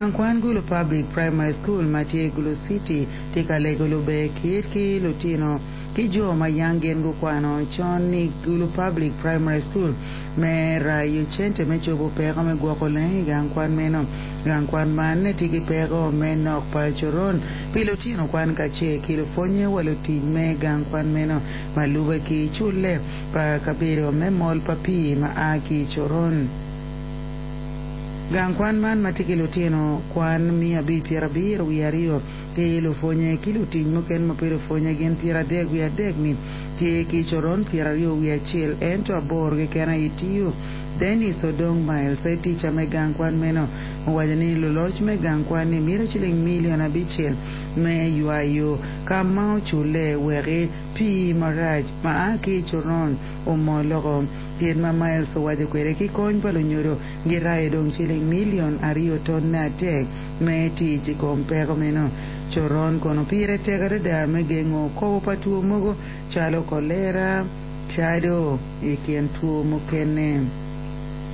Gang kwan Gulu Public Primary School ma tye i Gulu City tye ka lego luber kit ki lutino ki jo ma yang gin gukwano con i Gulu Public Primary School me rayo cente me cobo peko me gwoko leng i gang kwan meno. Gang kwan man tye ki peko me nok pa coron pi lutino kwan kacel ki lupwonye wa lutic me gang kwan meno ma lube ki culle pa kabedo me mol pa pii ma a ki i coron. Gang kwan man ma tye ki lutino kwan miya 572 ki lupwonye ki lutic mukene ma pe lupwonye gin 33 ni tye ki coron 21 ento aboro keken aye tiyo. Dennis Odong Miles aye tica me gang kwan meno owaco ni luloc me gang kwan ni mito ciling milion 5 me ywayo ka ma oculle weki pii marac ma a ki i coron omol loko. Kit ma Miles owaco kwede ki kony pa lunyodo girayo dong ciling milion 2.3 me tic i kom peko meno. Coron kono pire tek adada me gengo kobo pa two mogo calo kolera, cado i kin two mukene.